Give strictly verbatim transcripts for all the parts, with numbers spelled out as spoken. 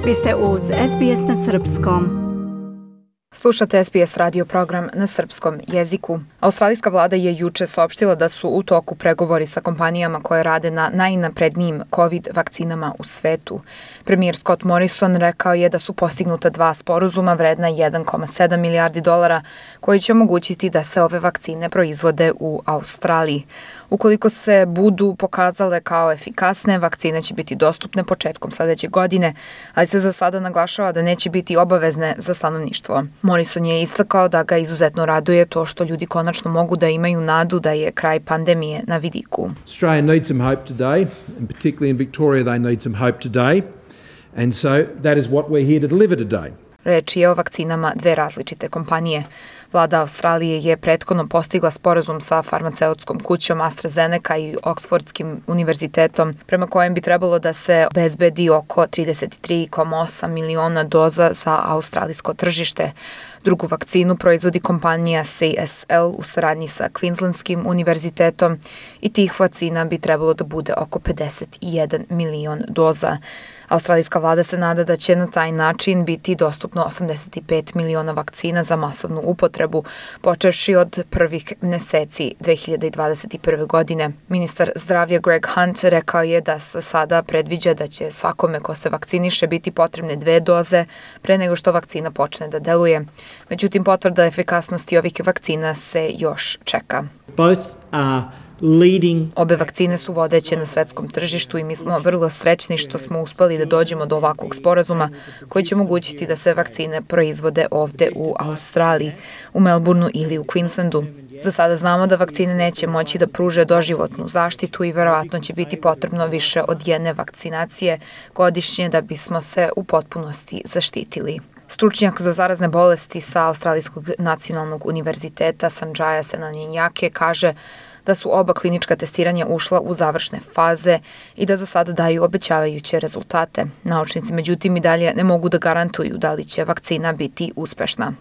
Vi ste uz S B S na srpskom. Slušate S B S radio program na srpskom jeziku. Australijska vlada je juče saopštila da su u toku pregovori sa kompanijama koje rade na najnaprednijim COVID vakcinama u svetu. Premijer Scott Morrison rekao je da su postignuta dva sporazuma vredna jedan zarez sedam milijardi dolara koji će omogućiti da se ove vakcine proizvode u Australiji. Ukoliko se budu pokazale kao efikasne, vakcine će biti dostupne početkom sledeće godine, ali se za sada naglašava da neće biti obavezne za stanovništvo. Morrison je istakao da ga izuzetno raduje to što ljudi konačno mogu da imaju nadu da je kraj pandemije na vidiku. Australia needs some hope today, and particularly in Victoria they need some hope today, and so that is what we're here to deliver today. Reč je o vakcinama dve različite kompanije. Vlada Australije je prethodno postigla sporazum sa farmaceutskom kućom AstraZeneca i Oksfordskim univerzitetom, prema kojem bi trebalo da se obezbedi oko trideset tri zarez osam miliona doza za australijsko tržište. Drugu vakcinu proizvodi kompanija C S L u saradnji sa Queenslandskim univerzitetom i tih vakcina bi trebalo da bude oko pedeset jedan milion doza. Australijska vlada se nada da će na taj način biti dostupno osamdeset pet miliona vakcina za masovnu upotrebu, počevši od prvih meseci dve hiljade dvadeset prve. godine. Ministar zdravlja Greg Hunt rekao je da se sada predviđa da će svakome ko se vakciniše biti potrebne dve doze pre nego što vakcina počne da deluje. Međutim, potvrda efikasnosti ovih vakcina se još čeka. Both are leading. Obe vakcine su vodeće na svetskom tržištu i mi smo vrlo srećni što smo uspeli da dođemo do ovakvog sporazuma koji će omogućiti da se vakcine proizvode ovde u Australiji, u Melbourneu ili u Queenslandu. Za sada znamo da vakcine neće moći da pruže doživotnu zaštitu i verovatno će biti potrebno više od jedne vakcinacije godišnje da bismo se u potpunosti zaštitili. Stručnjak za zarazne bolesti sa Australijskog nacionalnog univerziteta Sanjaya Senanjake kaže da su oba klinička testiranja ušla u završne faze i da za sada daju obećavajuće rezultate. Naučnici međutim i dalje ne mogu da garantuju da li će vakcina biti uspešna.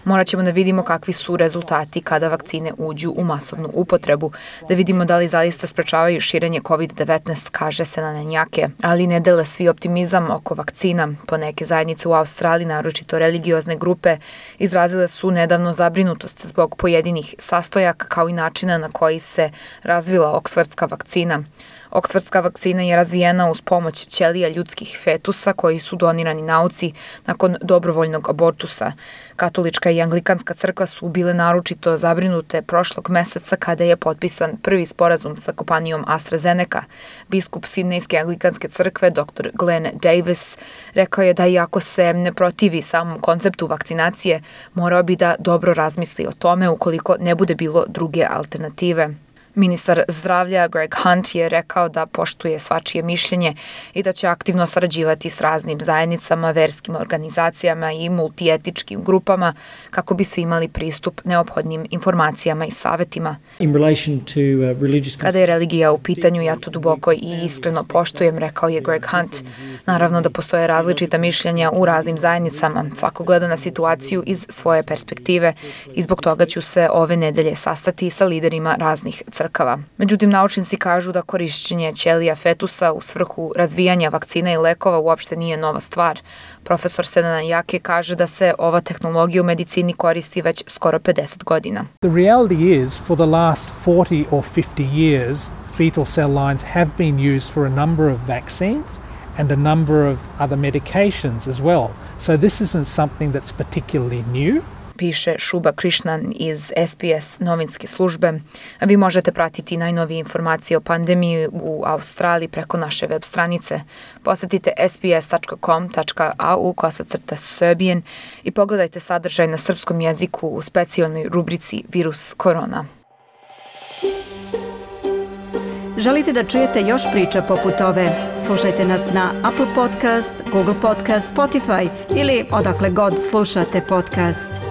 Morat ćemo da vidimo kakvi su rezultati kada vakcine uđu u masovnu upotrebu, da vidimo da li zaista sprečavaju širenje COVID devetnaest, kaže Senanjake, ali ne dele svi optimizam oko vakcina. Poneke zajednice u Australiji, naročito religiozne grupe, izrazile su nedavno zabrinutost zbog pojedinih sastojaka kao i načina na koji se razvila oksfordska vakcina. Oksfordska vakcina je razvijena uz pomoć ćelija ljudskih fetusa koji su donirani nauci nakon dobrovoljnog abortusa. Katolička i anglikanska crkva su bile naročito zabrinute prošlog meseca kada je potpisan prvi sporazum sa kompanijom AstraZeneca. Biskup Sidnejske anglikanske crkve dr Glenn Davis rekao je da iako se ne protivi samom konceptu vakcinacije, morao bi da dobro razmisli o tome ukoliko ne bude bilo druge alternative. Ministar zdravlja Greg Hunt je rekao da poštuje svačije mišljenje i da će aktivno sarađivati s raznim zajednicama, verskim organizacijama i multietičkim grupama kako bi svi imali pristup neophodnim informacijama i savetima. Kada je religija u pitanju, ja to duboko i iskreno poštujem, rekao je Greg Hunt. Naravno da postoje različita mišljenja u raznim zajednicama, svako gleda na situaciju iz svoje perspektive i zbog toga ću se ove nedelje sastati sa liderima raznih crkava. Međutim, naučnici kažu da korišćenje ćelija fetusa u svrhu razvijanja vakcina i lekova uopšte nije nova stvar. Profesor Senanjake kaže da se ova tehnologija u medicini koristi već skoro pedeset godina. The reality is for the last forty or fifty years fetal cell lines have been used for a number of vaccines and a number of other medications as well. So this isn't something that's particularly new. Piše Šuba Krishnan iz S B S novinske službe. Vi možete pratiti najnovije informacije o pandemiji u Australiji preko naše web stranice. Posetite sbs.com.au kosacrta Serbian i pogledajte sadržaj na srpskom jeziku u specijalnoj rubrici Virus korona. Želite da čujete još priča poput ove? Slušajte nas na Apple Podcast, Google Podcast, Spotify ili odakle god slušate podcast.